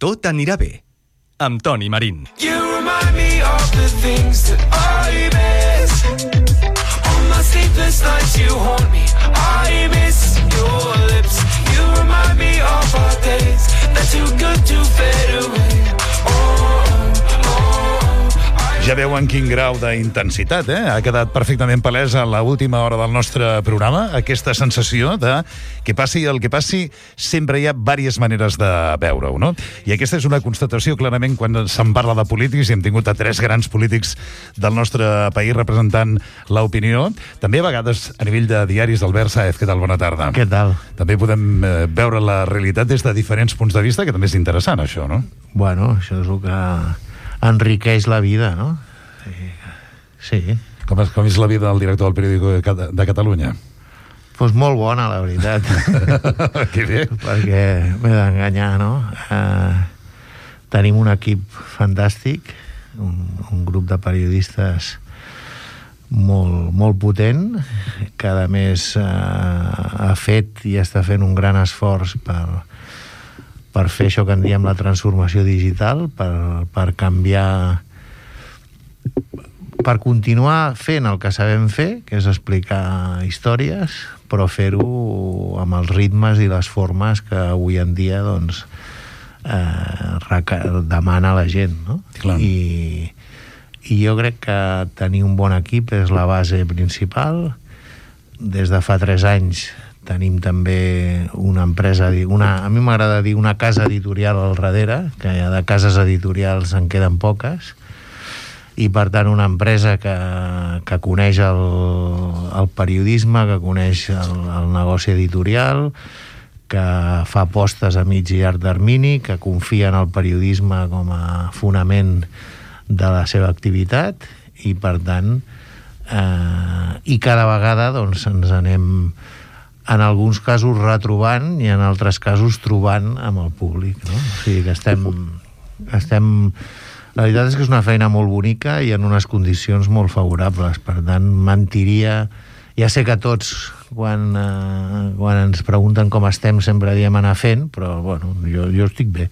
Tot anirà bé, amb Toni Marín. You remind me of the things that I miss. On my sleepless nights you haunt me. I miss your lips. You remind me of our days. They're too good to fade away. Ja veuen quin grau d'intensitat, Ha quedat perfectament palesa a l'última hora del nostre programa, aquesta sensació de que passi el que passi, sempre hi ha diverses maneres de veure-ho, no? I aquesta és una constatació, clarament, quan se'n parla de polítics, i hem tingut a 3 grans polítics del nostre país representant l'opinió. També a vegades a nivell de diaris. Albert Sáez, què tal? Bona tarda. Què tal? També podem veure la realitat des de diferents punts de vista, que també és interessant, això, no? Bueno, això és el que enriqueix la vida, no? Sí. Com és la vida del director del Periódico de Catalunya? Doncs molt bona, la veritat. Que bé. Perquè m'he d'enganyar, no? Tenim un equip fantàstic, un grup de periodistes molt potent, que a més ha fet i està fent un gran esforç per fer això que en diem la transformació digital, per canviar, per continuar fent el que sabem fer, que és explicar històries, però fer-ho amb els ritmes i les formes que avui en dia doncs, demana la gent, no? I jo crec que tenir un bon equip és la base principal. Des de fa 3 anys tenim també una empresa, a mi m'agrada dir una casa editorial al darrere, que de cases editorials en queden poques, i per tant una empresa que coneix el periodisme, que coneix el negoci editorial, que fa apostes a mig i llarg termini, que confia en el periodisme com a fonament de la seva activitat, i per tant i cada vegada doncs ens anem en alguns casos retrobant i en altres casos trobant amb el públic, no? O sigui que estem... La veritat és que és una feina molt bonica i en unes condicions molt favorables. Per tant, mentiria... Ja sé que tots, quan ens pregunten com estem, sempre diem anar fent, però, bueno, jo estic bé.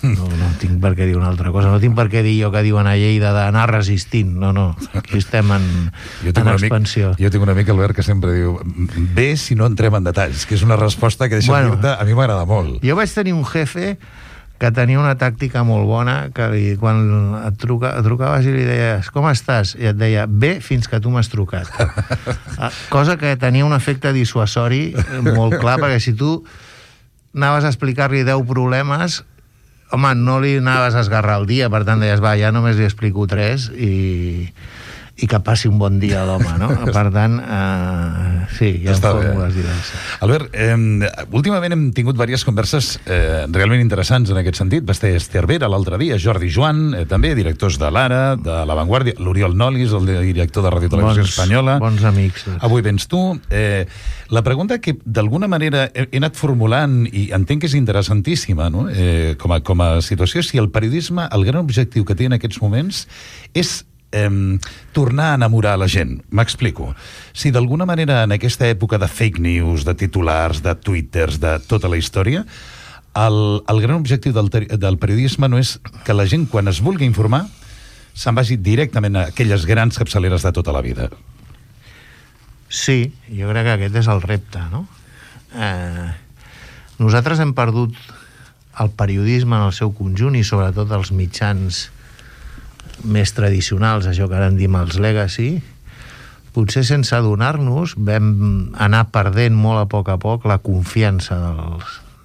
No tinc per què dir una altra cosa. No tinc per què dir jo que diuen a Lleida d'anar resistint. No. Aquí estem en expansió. Jo tinc un amic, Albert, que sempre diu bé si no entrem en detalls, que és una resposta que deixa dir-te, a mi m'agrada molt. Jo vaig tenir un jefe que tenia una tàctica molt bona, que quan et trucaves i li deies com estàs? I et deia bé fins que tu m'has trucat. Cosa que tenia un efecte dissuasori molt clar, perquè si tu anaves a explicar-li 10 problemes, home, no li anaves a esgarrar el dia, per tant deies, va, ja només li explico 3 i que passi un bon dia a l'home, no? Per tant, sí, hi ha fórmules diverses. Albert, últimament hem tingut diverses converses realment interessants en aquest sentit. Va estar Esther Vera l'altre dia, Jordi Joan, també directors de l'Ara, de La Vanguardia, l'Oriol Nolis, el director de Ràdio Televisió Espanyola. Bons amics. Avui vens tu. La pregunta que d'alguna manera he anat formulant i entenc que és interessantíssima, no? Com a situació, si el periodisme, el gran objectiu que té en aquests moments és tornar a enamorar la gent. M'explico. Si d'alguna manera en aquesta època de fake news, de titulars, de twitters, de tota la història, el gran objectiu del periodisme no és que la gent, quan es vulgui informar, se'n vagi directament a aquelles grans capçaleres de tota la vida. Sí, jo crec que aquest és el repte, no? Nosaltres hem perdut el periodisme en el seu conjunt i sobretot els mitjans més tradicionals, això que ara en diem els legacy. Potser sense adonar-nos vam anar perdent molt a poc la confiança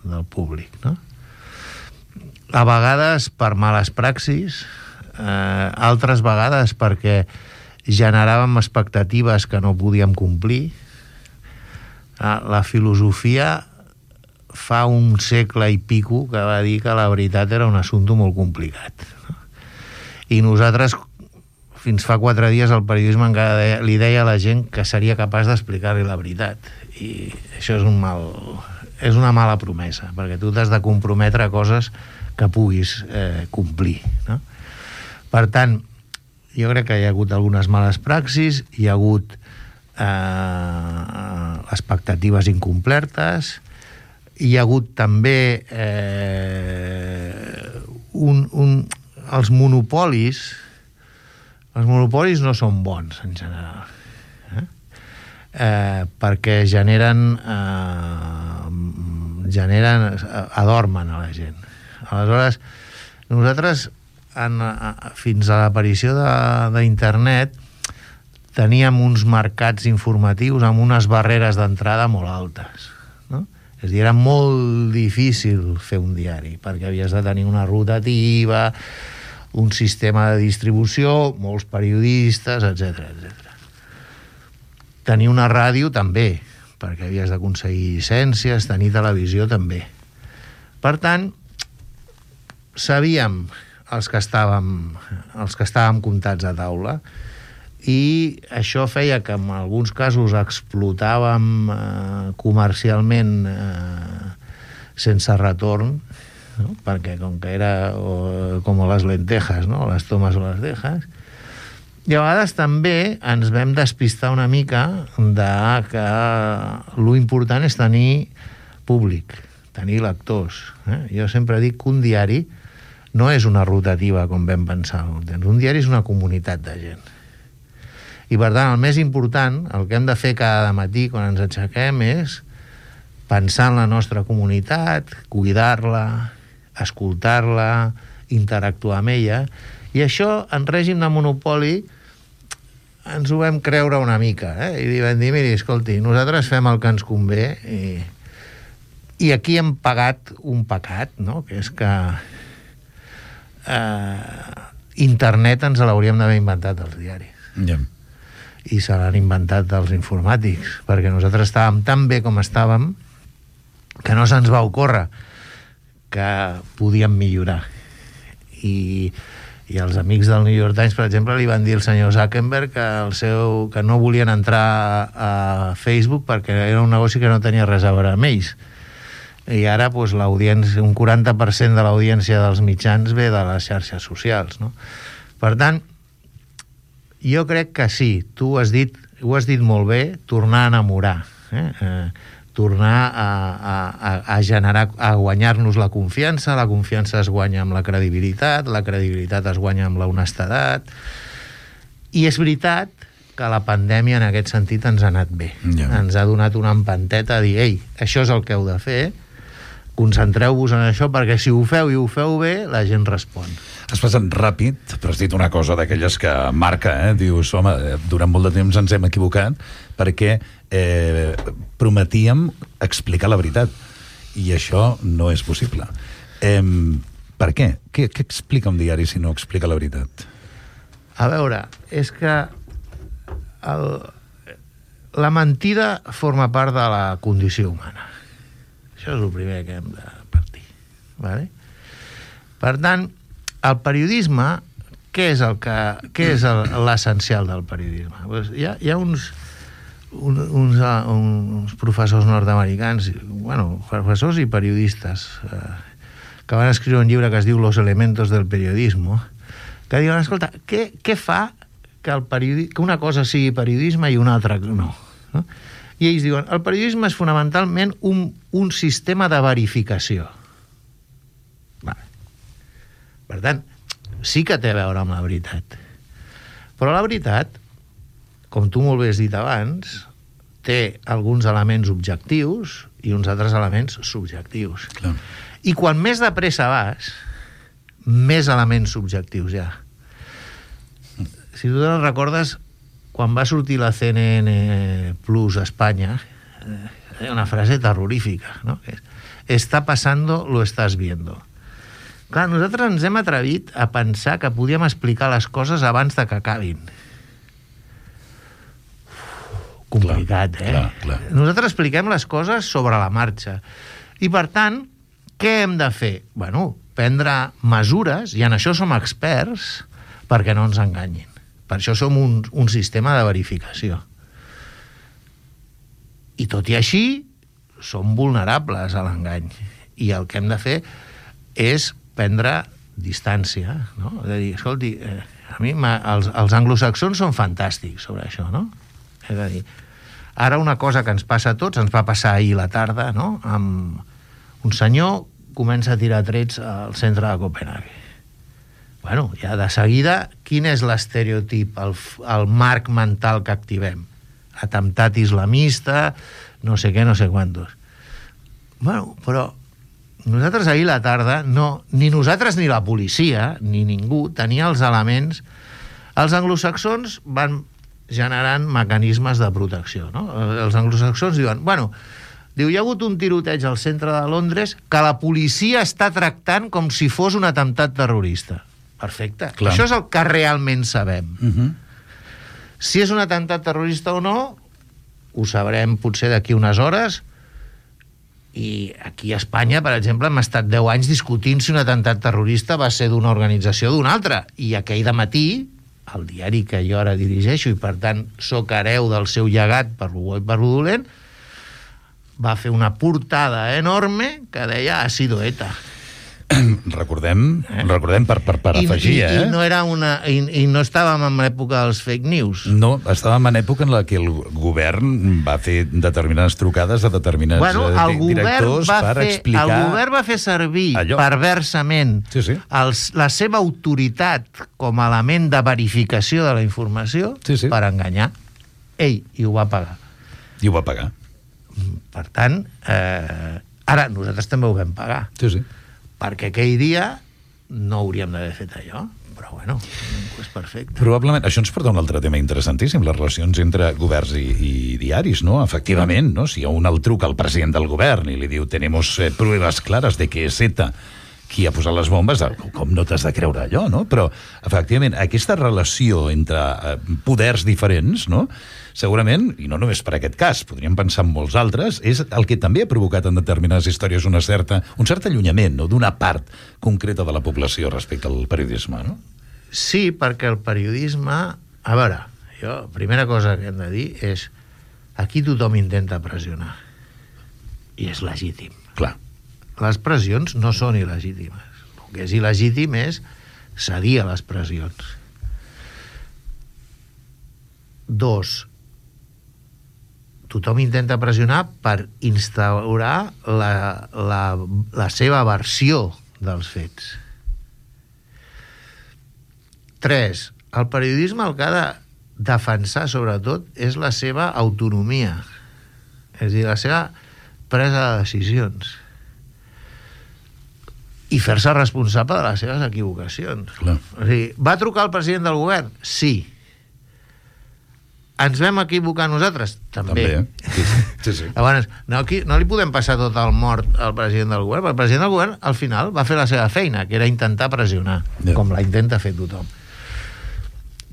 del públic, no? A vegades per males praxis, altres vegades perquè generàvem expectatives que no podíem complir. La filosofia fa un segle i pico que va dir que la veritat era un assumpte molt complicat, no? I nosaltres, fins fa 4 dies, el periodisme encara li deia a la gent que seria capaç d'explicar-li la veritat. I això és una mala promesa, perquè tu t'has de comprometre a coses que puguis complir, no? Per tant, jo crec que hi ha hagut algunes males praxis, hi ha hagut expectatives incomplertes, hi ha hagut també els monopolis no són bons en general, perquè adormen a la gent. Aleshores, nosaltres fins a l'aparició d'internet teníem uns mercats informatius amb unes barreres d'entrada molt altes, no? És a dir, era molt difícil fer un diari, perquè havies de tenir una rotativa, un sistema de distribució, molts periodistes, etc. Tenir una ràdio també, perquè havies d'aconseguir llicències, tenir televisió també. Per tant, sabíem els que estàvem comptats a taula, i això feia que en alguns casos explotàvem comercialment sense retorn, no? Perquè com que era com les lentejas, no? Les tomes o les dejas, i a vegades també ens vam despistar una mica de que lo important és tenir públic, tenir lectors. Jo sempre dic que un diari no és una rotativa com vam pensar. Un diari és una comunitat de gent. I per tant, el més important, el que hem de fer cada matí quan ens aixequem és pensar en la nostra comunitat, cuidar-la, escoltar-la, interactuar amb ella, i això en règim de monopoli ens ho vam creure una mica, i vam dir, miri, escolti, nosaltres fem el que ens convé, i aquí hem pagat un pecat, no? Que és que internet ens l'hauríem d'haver inventat els diaris. I se l'han inventat els informàtics, perquè nosaltres estàvem tan bé com estàvem que no se'ns va ocórrer que podíem millorar. I els amics del New York Times, per exemple, li van dir al senyor Zuckerberg que no volien entrar a Facebook perquè era un negoci que no tenia res a veure amb ells. I ara doncs, l'audiència, un 40% de l'audiència dels mitjans ve de les xarxes socials, no? Per tant, jo crec que sí, tu ho has dit molt bé, tornar a enamorar, tornar a generar, a guanyar-nos la confiança es guanya amb la credibilitat es guanya amb la honestedat, i és veritat que la pandèmia en aquest sentit ens ha anat bé. Ens ha donat una empanteta a dir, ei, això és el que heu de fer, concentreu-vos en això, perquè si ho feu i ho feu bé, la gent respon. Has passat ràpid, però has dit una cosa d'aquelles que marca, dius, home, durant molt de temps ens hem equivocat perquè prometíem explicar la veritat, i això no és possible. Per què? Què explica un diari si no explica la veritat? A veure, és que la mentida forma part de la condició humana. Això és el primer que hem de partir. Vale? Per tant, el periodisme, què és l'essencial del periodisme? Pues hi ha uns professors nord-americans, professors i periodistes, que van escriure un llibre que es diu Los elementos del periodismo, que diuen, escolta, què fa que una cosa sigui periodisme i una altra no? I ells diuen, el periodisme és fonamentalment un sistema de verificació. Vale. Per tant, sí que té a veure amb la veritat. Però la veritat, com tu molt bé has dit abans, té alguns elements objectius i uns altres elements subjectius. Clar. I quan més de pressa vas, més elements subjectius hi ha. Si tu te'n recordes, quan va sortir la CNN Plus a Espanya, hi ha una frase terrorífica, no? Está pasando, lo estás viendo. Clar, nosaltres ens hem atrevit a pensar que podíem explicar les coses abans de que acabin. Complicat, Clar. Nosaltres expliquem les coses sobre la marxa. I, per tant, què hem de fer? Prendre mesures, i en això som experts, perquè no ens enganyin. Per això som un sistema de verificació. I tot i així, som vulnerables a l'engany. I el que hem de fer és prendre distància, no? De dir, escolti, a mi els anglosaxons són fantàstics sobre això, no? És a dir, ara una cosa que ens passa a tots, ens va passar ahir la tarda, no? Amb un senyor comença a tirar trets al centre de Copenhague. Bueno, ja de seguida, quin és l'estereotip, el marc mental que activem? Atemptat islamista, no sé què, no sé quantos. Bueno, però nosaltres ahir a la tarda, ni nosaltres ni la policia, ni ningú, tenia els elements. Els anglosaxons van generant mecanismes de protecció, no? Els anglosaxons diuen, hi ha hagut un tiroteig al centre de Londres que la policia està tractant com si fos un atemptat terrorista. Perfecte. Clar. Això és el que realment sabem. Si és un atemptat terrorista o no, ho sabrem potser d'aquí unes hores, i aquí a Espanya, per exemple, hem estat 10 anys discutint si un atemptat terrorista va ser d'una organització o d'una altra, i aquell dematí, el diari que jo ara dirigeixo, i per tant soc hereu del seu llegat per lo bo i per lo dolent, va fer una portada enorme que deia ha sido ETA. Recordem per afegir, I no era i no estàvem en l'època dels fake news. No, estàvem en època en la que el govern va fer determinades trucades a determinats directors per explicar... El govern va fer servir perversament la seva autoritat com a element de verificació de la informació per enganyar. Ell, i ho va pagar. I ho va pagar. Per tant, ara nosaltres també ho vam pagar. Sí. Perquè aquell dia no hauríem d'haver fet allò, però és perfecte. Probablement, això ens porta a un altre tema interessantíssim, les relacions entre governs i diaris, no? Efectivament, no? Si un el truca al president del govern i li diu tenemos pruebas claras de que és ETA qui ha posat les bombes, com no t'has de creure allò, no? Però, efectivament, aquesta relació entre poders diferents, no? Segurament, i no només per aquest cas, podríem pensar en molts altres, és el que també ha provocat en determinades històries un cert allunyament, no? D'una part concreta de la població respecte al periodisme, no? Sí, perquè el periodisme... A veure, primera cosa que hem de dir és aquí tothom intenta pressionar. I és legítim. Clar. Les pressions no són il·legítimes. El que és il·legítim és cedir a les pressions. 2. Tothom intenta pressionar per instaurar la seva versió dels fets. 3. El periodisme el que ha de defensar, sobretot, és la seva autonomia. És a dir, la seva presa de decisions. I fer-se responsable de les seves equivocacions. Clar. O sigui, va trucar el president del govern? Sí. Ens vam equivocar nosaltres? També. Sí. Llavors, no li podem passar tot el mort al president del govern, perquè el president del govern, al final, va fer la seva feina, que era intentar pressionar, com la intenta fer tothom.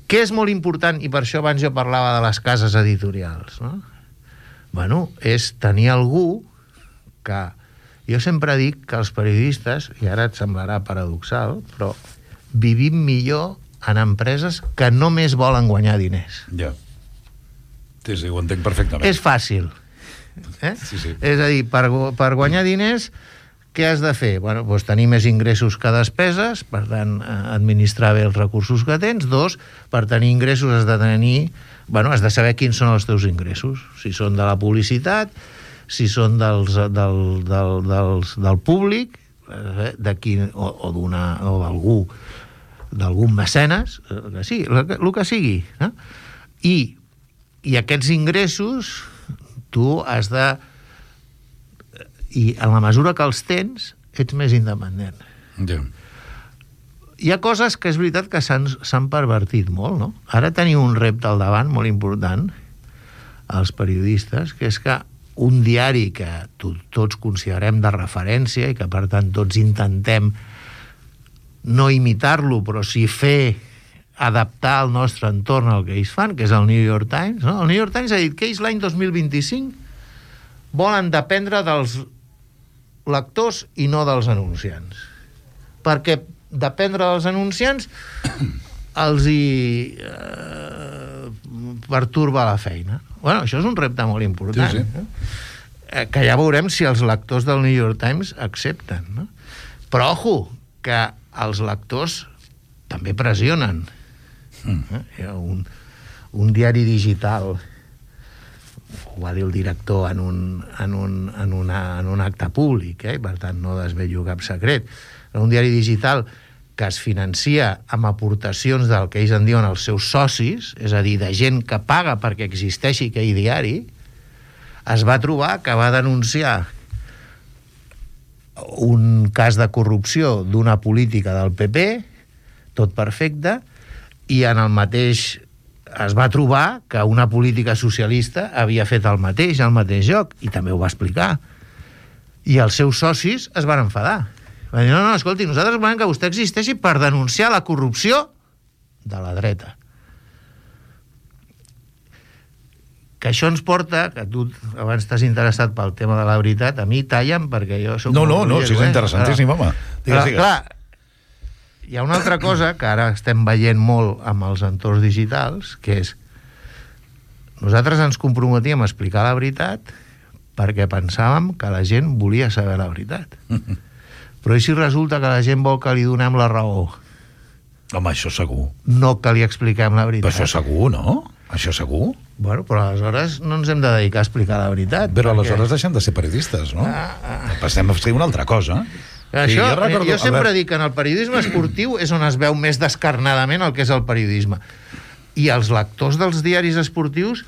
Què és molt important, i per això abans jo parlava de les cases editorials, no? És tenir algú que... Jo sempre dic que els periodistes, i ara et semblarà paradoxal, però vivim millor en empreses que només volen guanyar diners. Ja. Sí, ho entenc perfectament. És fàcil. Sí. És a dir, per guanyar diners, què has de fer? Tenir més ingressos que despeses, per tant, administrar bé els recursos que tens. 2, per tenir ingressos has de saber quins són els teus ingressos. Si són de la publicitat, si són del públic, o d'algun mecenes, el que sigui. I aquests ingressos tu has de... I en la mesura que els tens, ets més independent. Ja. Hi ha coses que és veritat que s'han pervertit molt, no? Ara tenim un repte al davant molt important, els periodistes, que és que un diari que tots considerem de referència i que, per tant, tots intentem no imitar-lo, però sí adaptar el nostre entorn al que ells fan, que és el New York Times, no? El New York Times ha dit que ells l'any 2025 volen dependre dels lectors i no dels anunciants. Perquè dependre dels anunciants els hi perturba la feina. Això és un repte molt important. Sí. Que ja veurem si els lectors del New York Times accepten. No? Però, ojo, que els lectors també pressionen. Hi ha un diari digital, ho va dir el director en un acte públic, i per tant no desvello cap secret, un diari digital que es financia amb aportacions del que ells en diuen els seus socis, és a dir, de gent que paga perquè existeixi aquell diari, es va trobar que va denunciar un cas de corrupció d'una política del PP, tot perfecte, i en el mateix es va trobar que una política socialista havia fet el mateix al mateix lloc, i també ho va explicar. I els seus socis es van enfadar. Van dir, no, escolti, nosaltres volem que vostè existeixi per denunciar la corrupció de la dreta. Que això ens porta, que tu abans t'has interessat pel tema de la veritat, a mi tallen perquè jo soc... No, si és interessantíssim, home. Clar, hi ha una altra cosa que ara estem veient molt amb els entorns digitals, que és nosaltres ens comprometíem a explicar la veritat perquè pensàvem que la gent volia saber la veritat. Però i si resulta que la gent vol que li donem la raó? Home, això segur. No que li expliquem la veritat. Però això segur, no? Això segur. Bueno, però aleshores no ens hem de dedicar a explicar la veritat. Però aleshores deixem de ser periodistes, no? Passem a fer una altra cosa. Això, jo sempre dic que en el periodisme esportiu és on es veu més descarnadament el que és el periodisme. I els lectors dels diaris esportius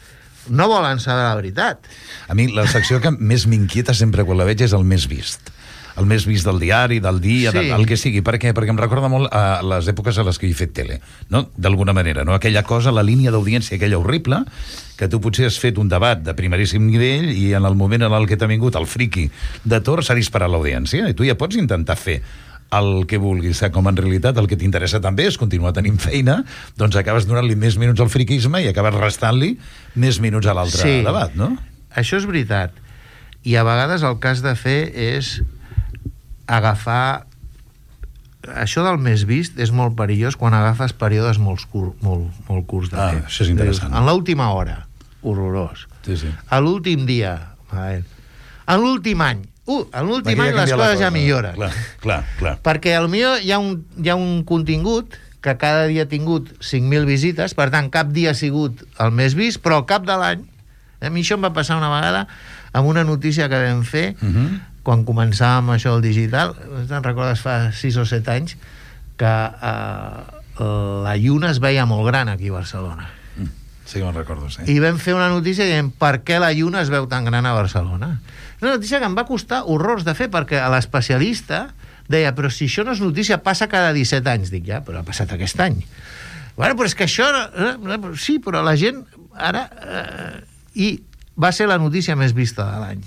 no volen saber la veritat. A mi la secció que més m'inquieta sempre quan la veig és el més vist. El més vist del diari, del dia, sí. El que sigui. Per què? Perquè em recorda molt a les èpoques a les que he fet tele, no? D'alguna manera, no? Aquella cosa, la línia d'audiència, aquella horrible, que tu potser has fet un debat de primeríssim nivell i en el moment en el que t'ha vingut el friqui de Tor s'ha disparat l'audiència i tu ja pots intentar fer el que vulguis, com en realitat el que t'interessa també és continuar tenint feina, doncs acabes donant-li més minuts al friquisme i acabes restant-li més minuts a l'altre debat, no? Això és veritat. I a vegades el que has de fer és agafar... Això del més vist és molt perillós quan agafes períodes molt curts de temps. Això és interessant. En l'última hora, horrorós. Sí. A l'últim dia, en l'últim any, en l'últim any les coses ja milloren. Clar. Perquè potser hi ha un contingut que cada dia ha tingut 5.000 visites, per tant, cap dia ha sigut el més vist, però al cap de l'any, a mi això em va passar una vegada amb una notícia que vam fer quan començàvem això del digital, te'n recordes fa 6 o 7 anys, que la lluna es veia molt gran aquí a Barcelona. Sí, me'n recordo, sí. I vam fer una notícia dient per què la lluna es veu tan gran a Barcelona. Una notícia que em va costar horrors de fer, perquè l'especialista deia, però si això no és notícia, passa cada 17 anys. Dic, ja, però ha passat aquest any. Bueno, però és que això... Sí, però la gent ara... I va ser la notícia més vista de l'any.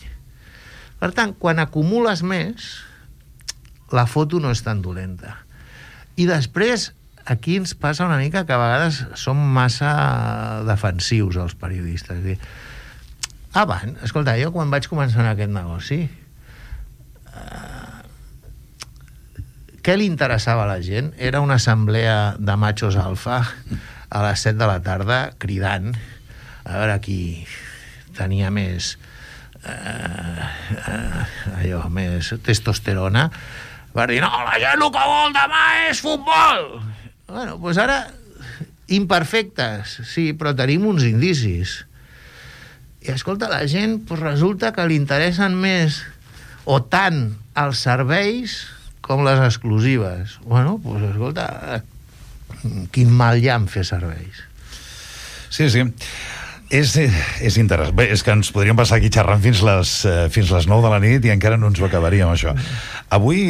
Per tant, quan acumules més, la foto no és tan dolenta. I després, aquí ens passa una mica que a vegades som massa defensius, els periodistes. Abans, escolta, jo quan vaig començar en aquest negoci, què li interessava a la gent? Era una assemblea de machos alfa a les 7 de la tarda, cridant, a veure qui tenia més... allò, més testosterona, va dir, no, la gent el que vol demà és futbol. Bueno, doncs ara imperfectes, sí, però tenim uns indicis. I escolta, la gent pues, resulta que li interessen més o tant els serveis com les exclusives. Bueno, doncs escolta, quin mal hi ha en fer serveis. Sí. És interessant. Bé, és que ens podríem passar aquí xerrant fins les 9 de la nit i encara no ens ho acabaríem, això. Avui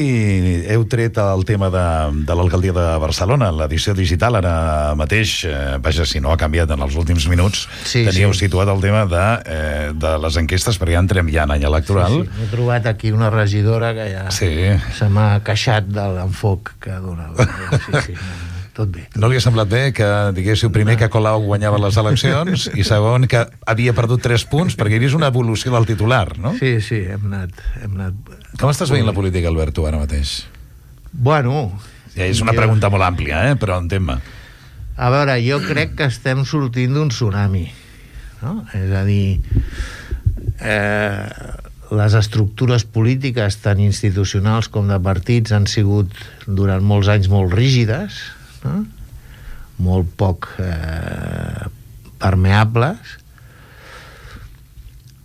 heu tret el tema de l'alcaldia de Barcelona, l'edició digital, ara mateix, vaja, si no ha canviat en els últims minuts, teníeu situat el tema de les enquestes, perquè ja entrem ja en any electoral. Sí. He trobat aquí una regidora que ja se m'ha queixat de l'enfoc que dona. Sí. Tot bé. No li ha semblat bé que diguéssiu primer que Colau guanyava les eleccions i segon que havia perdut 3 punts perquè hi havia una evolució del titular, no? Sí, hem anat... Com estàs veient la política, Albert, tu ara mateix? Bueno... Ja és una pregunta molt àmplia, però entén-me. A veure, jo crec que estem sortint d'un tsunami, no? És a dir, les estructures polítiques tant institucionals com de partits han sigut durant molts anys molt rígides, no? Molt poc permeables.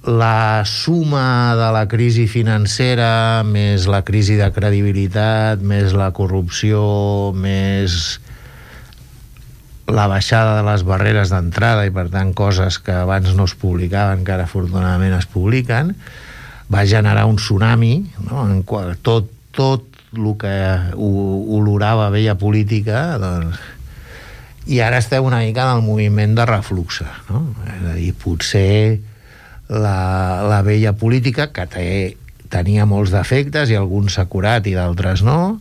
la suma de la crisi financera més la crisi de credibilitat, més la corrupció, més la baixada de les barreres d'entrada i per tant coses que abans no es publicaven que ara afortunadament es publiquen, va generar un tsunami, no? En qual tot el que olorava vella política, doncs, i ara estem una mica en el moviment de refluxe, no? És a dir, potser la vella política, que tenia molts defectes i alguns s'ha curat i d'altres no,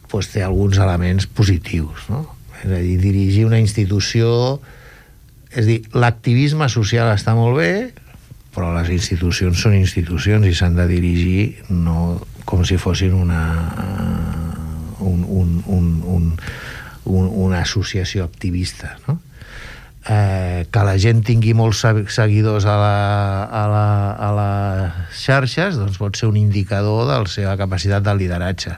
doncs té alguns elements positius, no? És a dir, dirigir una institució, és a dir, l'activisme social està molt bé, però les institucions són institucions i s'han de dirigir no com si fossin una associació activista, no? Que la gent tingui molts seguidors a les xarxes, doncs pot ser un indicador de la seva capacitat de lideratge,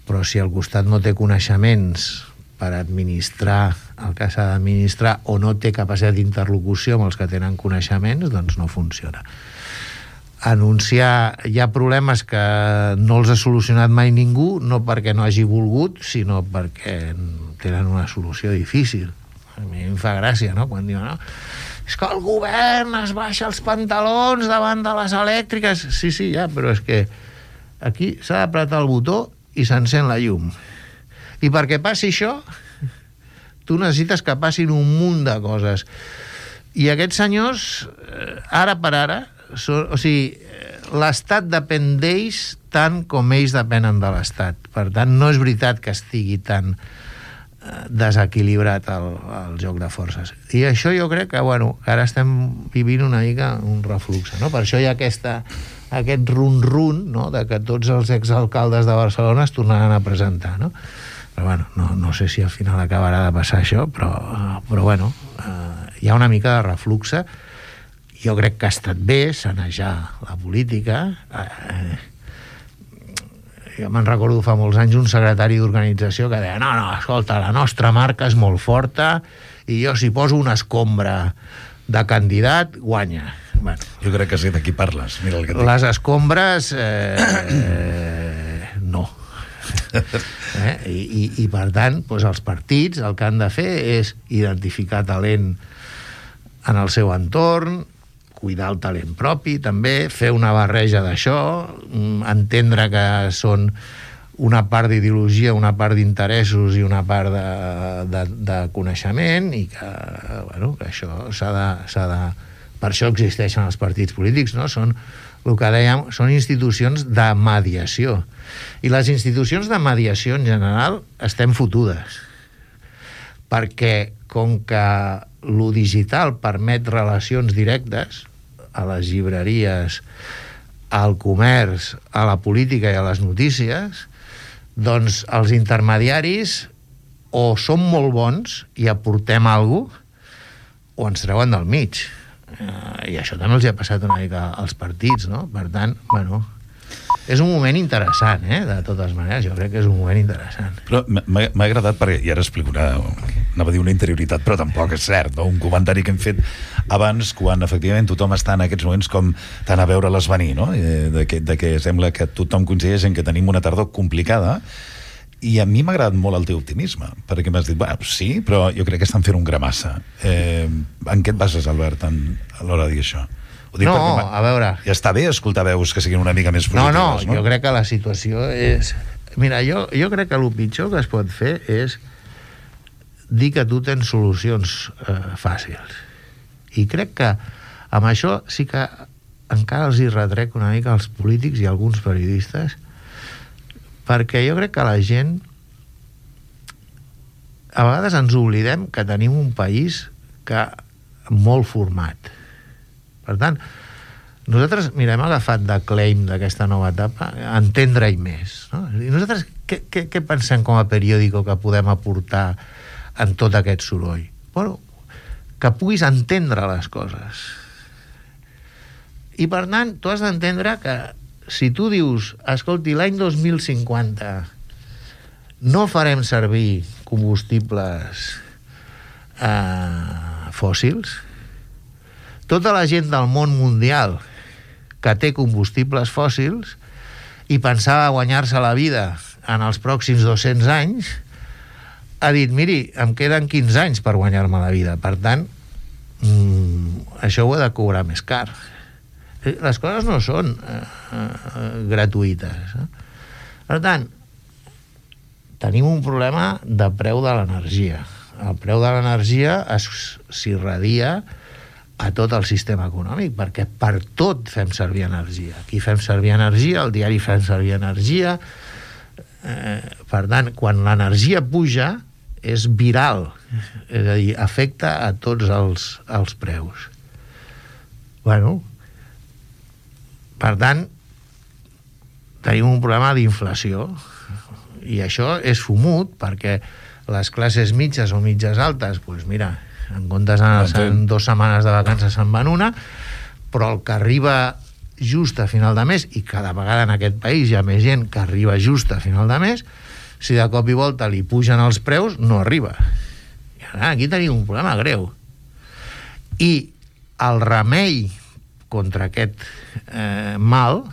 però si al costat no té coneixements per administrar el que s'ha d'administrar o no té capacitat d'interlocució amb els que tenen coneixements, doncs no funciona. Hi ha problemes que no els ha solucionat mai ningú, no perquè no hagi volgut, sinó perquè tenen una solució difícil. A mi em fa gràcia, no?, quan diuen, no, és que el govern es baixa els pantalons davant de les elèctriques. Sí, ja, però és que aquí s'ha d'apretar el botó i s'encén la llum. I perquè passi això, tu necessites que passin un munt de coses. I aquests senyors, ara per ara, l'Estat depèn d'ells tant com ells depenen de l'Estat. Per tant, no és veritat que estigui tan desequilibrat el joc de forces. I això jo crec que, ara estem vivint una mica un reflux, no? Per això hi ha aquest run-run, no?, de que tots els exalcaldes de Barcelona es tornaran a presentar, no? Però no sé si al final acabarà de passar això, però hi ha una mica de refluxe. Jo crec que ha estat bé sanejar la política. Jo me'n recordo fa molts anys un secretari d'organització que deia no, escolta, la nostra marca és molt forta i jo si poso una escombra de candidat, guanya. Jo crec que sé de qui parles. Mira el que les escombres no. I per tant, doncs els partits el que han de fer és identificar talent en el seu entorn, cuidar el talent propi també, fer una barreja d'això, entendre que són una part d'ideologia, una part d'interessos i una part de coneixement i que això s'ha de... Per això existeixen els partits polítics, no? Són el que dèiem, són institucions de mediació. I les institucions de mediació, en general, estem fotudes. Perquè, com que lo digital permet relacions directes a les llibreries, al comerç, a la política i a les notícies, doncs els intermediaris o són molt bons i aportem alguna cosa, o ens treuen del mig. I això també els ha passat una mica als partits, no? Per tant, és un moment interessant, de totes maneres, jo crec que és un moment interessant. Però m'ha agradat, perquè, i ara explico anava a dir una interioritat, però tampoc és cert, no? Un comentari que hem fet abans, quan efectivament tothom està en aquests moments com tant a veure-les venir, no? De que sembla que tothom coincideix en que tenim una tardor complicada, i a mi m'ha agradat molt el teu optimisme, perquè m'has dit, sí, però jo crec que estan fent un gramassa. En què et bases, Albert, a l'hora de dir això? A veure... Ja està bé escoltar veus que siguin una mica més positives, no? Jo crec que la situació és... Mira, jo crec que el pitjor que es pot fer és dir que tu tens solucions fàcils. I crec que amb això sí que encara els hi retrec una mica als polítics i alguns periodistes, perquè jo crec que la gent a vegades ens oblidem que tenim un país molt format. Per tant, nosaltres, hem agafat de claim d'aquesta nova etapa entendre-hi més, no? I nosaltres què pensem com a periòdico que podem aportar en tot aquest soroll? Que puguis entendre les coses. I per tant, tu has d'entendre que si tu dius, escolti, l'any 2050 no farem servir combustibles fòssils, tota la gent del món mundial que té combustibles fòssils i pensava guanyar-se la vida en els pròxims 200 anys, ha dit, miri, em queden 15 anys per guanyar-me la vida, per tant, això ho he de cobrar més car. Les coses no són gratuïtes. Per tant, tenim un problema de preu de l'energia. El preu de l'energia s'irradia a tot el sistema econòmic, perquè per tot fem servir energia. Aquí fem servir energia, al diari fem servir energia. Per tant, quan l'energia puja, és viral, és a dir, afecta a tots els preus. Bueno, per tant, tenim un problema d'inflació, i això és fumut, perquè les classes mitges o mitges altes, doncs mira, en comptes d'anar 2 setmanes de vacances se'n van una, però el que arriba just a final de mes, i cada vegada en aquest país hi ha més gent que arriba just a final de mes, si de cop i volta li pugen els preus, no arriba. I ara aquí tenim un problema greu. I el remei contra aquest mal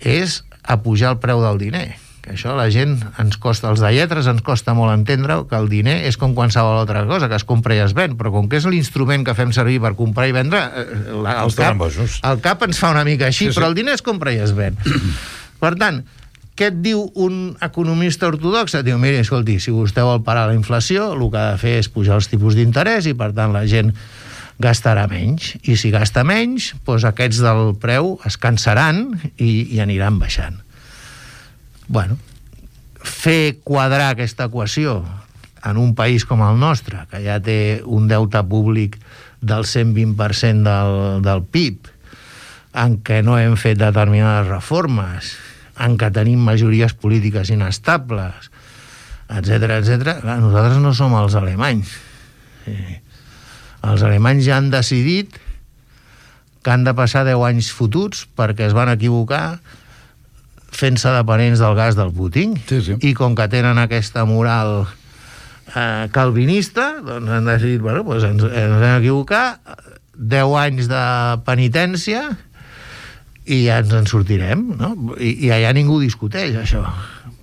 és apujar el preu del diner. Que això la gent ens costa, els de lletres ens costa molt entendre que el diner és com qualsevol altra cosa, que es compra i es ven, però com que és l'instrument que fem servir per comprar i vendre, el cap ens fa una mica així, sí, però el diner es compra i es ven. Per tant, què et diu un economista ortodox? Et diu, miri, escolti, si vostè vol parar la inflació, el que ha de fer és pujar els tipus d'interès i, per tant, la gent gastarà menys. I si gasta menys, doncs aquests del preu es cansaran i aniran baixant. Bueno, fer quadrar aquesta equació en un país com el nostre, que ja té un deute públic del 120% del PIB, en què no hem fet determinades reformes, en què tenim majories polítiques inestables, etc. Nosaltres no som els alemanys. Els alemanys ja han decidit que han de passar 10 anys fotuts perquè es van equivocar fent-se dependents del gas del Putin, sí. I com que tenen aquesta moral calvinista, doncs han decidit, bueno, doncs ens hem equivocat, 10 anys de penitència i ja ens en sortirem, no? I allà ningú discuteix això,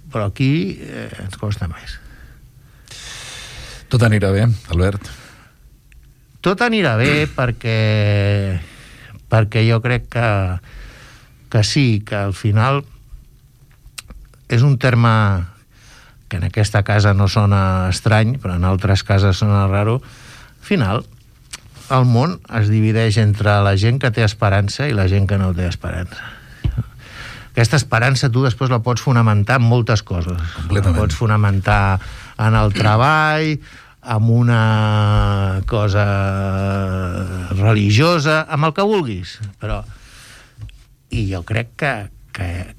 però aquí ens costa més. Tot anirà bé, Albert? Tot anirà bé perquè jo crec que sí, que al final és un terme que en aquesta casa no sona estrany, però en altres cases sona raro. Al final, el món es divideix entre la gent que té esperança i la gent que no té esperança. Aquesta esperança tu després la pots fonamentar en moltes coses. La pots fonamentar en el treball, amb una cosa religiosa, amb el que vulguis. Però... I jo crec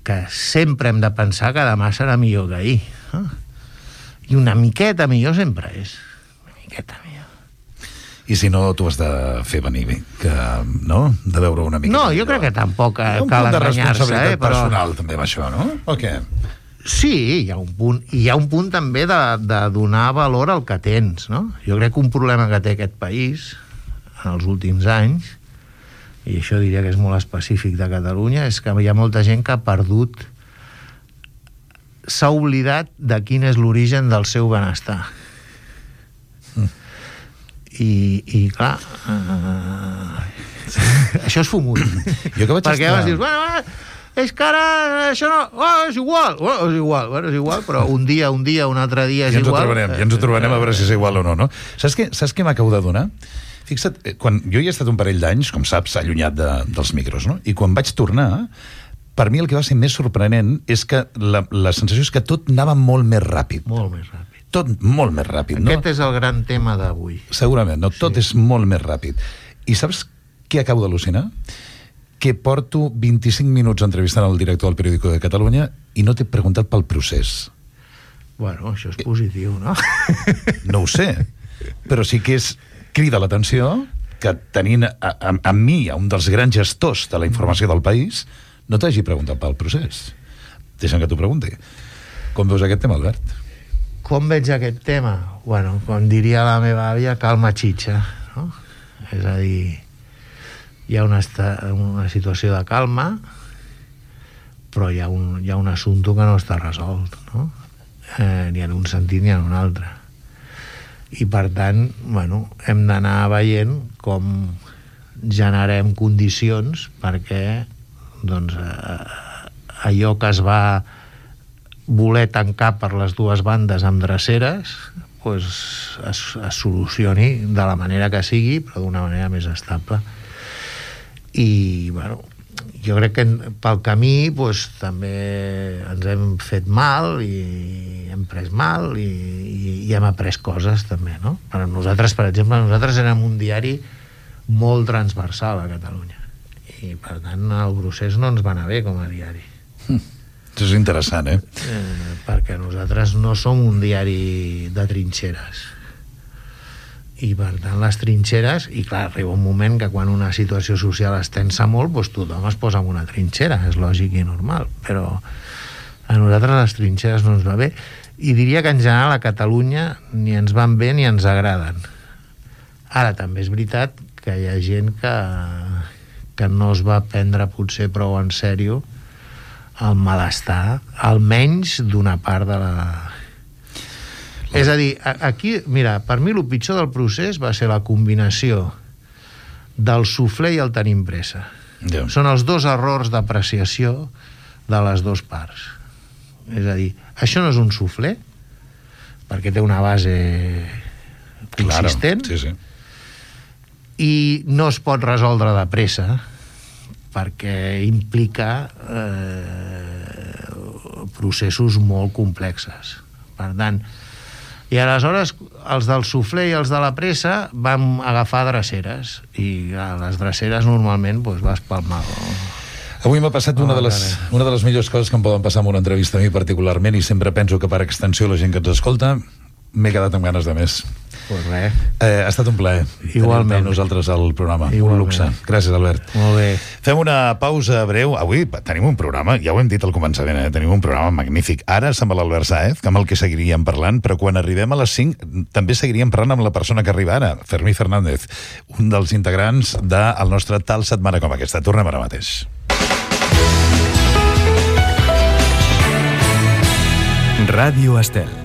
que sempre hem de pensar que demà serà millor que ahir. I una miqueta millor sempre és. Una miqueta millor. I si no, tu has de fer venir bé, no? De veure una mica. No, jo crec que tampoc cal enganyar-se. Hi ha un punt de responsabilitat personal, també, amb això, no? O què? Sí, hi ha un punt. I hi ha un punt també de donar valor al que tens, no? Jo crec que un problema que té aquest país en els últims anys, i això diria que és molt específic de Catalunya, és que hi ha molta gent que ha perdut, s'ha oblidat de quin és l'origen del seu benestar. I clar, això és fumut. Perquè llavors dius, bueno, és que ara això no... és igual. Bueno, és igual, però un dia, un altre dia és igual. Ja ens ho trobarem a veure si és igual o no, no? Saps què m'acabo de donar? Fixa't, quan jo hi he estat un parell d'anys, com saps, allunyat dels micros, no? I quan vaig tornar, per mi el que va ser més sorprenent és que la sensació és que tot anava molt més ràpid. Molt més ràpid. Tot molt més ràpid, no? Aquest és el gran tema d'avui. Segurament, no? Tot és molt més ràpid. I saps què acabo d'al·lucinar? Que porto 25 minuts entrevistant el director del Periódico de Catalunya i no t'he preguntat pel procés. Bueno, això és positiu, no? No ho sé, però sí que crida l'atenció que tenint a mi, a un dels grans gestors de la informació del país, no t'hagi preguntat pel procés. Deixa'm que t'ho pregunti. Com veus aquest tema, Albert? Com veig aquest tema? Bueno, com diria la meva àvia, calma xitxa, no? És a dir, hi ha una situació de calma, però hi ha un assumpte que no està resolt, no? Ni en un sentit ni en un altre. I per tant, bueno, hem d'anar veient com generem condicions perquè doncs, allò que es va voler tancar per les dues bandes amb dreceres pues, es solucioni de la manera que sigui, però d'una manera més estable. I bueno, jo crec que pel camí pues, també ens hem fet mal i hem pres mal i hem après coses també, no? Per nosaltres, per exemple, érem un diari molt transversal a Catalunya i per tant el procés no ens va anar bé com a diari. Això és interessant, perquè nosaltres no som un diari de trinxeres i per tant les trinxeres, i clar, arriba un moment que quan una situació social es tensa molt, doncs tothom es posa en una trinxera, és lògic i normal, però a nosaltres les trinxeres no ens va bé, i diria que en general a Catalunya ni ens van bé ni ens agraden. Ara també és veritat que hi ha gent que no es va prendre potser prou en sèrio el malestar, almenys d'una part de la... És a dir, aquí, mira, per mi el pitjor del procés va ser la combinació del suflé i el tenim pressa. Ja. Són els dos errors d'apreciació de les dues parts. És a dir, això no és un suflé, perquè té una base consistent, claro, sí. I no es pot resoldre de pressa, perquè implica processos molt complexes. Per tant, i aleshores els del suflé i els de la pressa vam agafar dreceres i a les dreceres normalment doncs, vas pel mal. Avui m'ha passat una de les millors coses que em poden passar en una entrevista a mi particularment, i sempre penso que per extensió la gent que ens escolta m'he quedat amb ganes de més. Pues res. Ha estat un plaer tenir nosaltres al programa. Igualment. Un luxe. Gràcies, Albert. Molt bé. Fem una pausa breu. Avui tenim un programa, ja ho hem dit al començament, tenim un programa magnífic. Ara amb l'Albert Sáez, que amb el que seguiríem parlant, però quan arribem a les 5 també seguiríem parlant amb la persona que arriba ara, Fermí Fernández, un dels integrants del nostre Tal Setmana com aquesta. Tornem ara mateix. Ràdio Estel.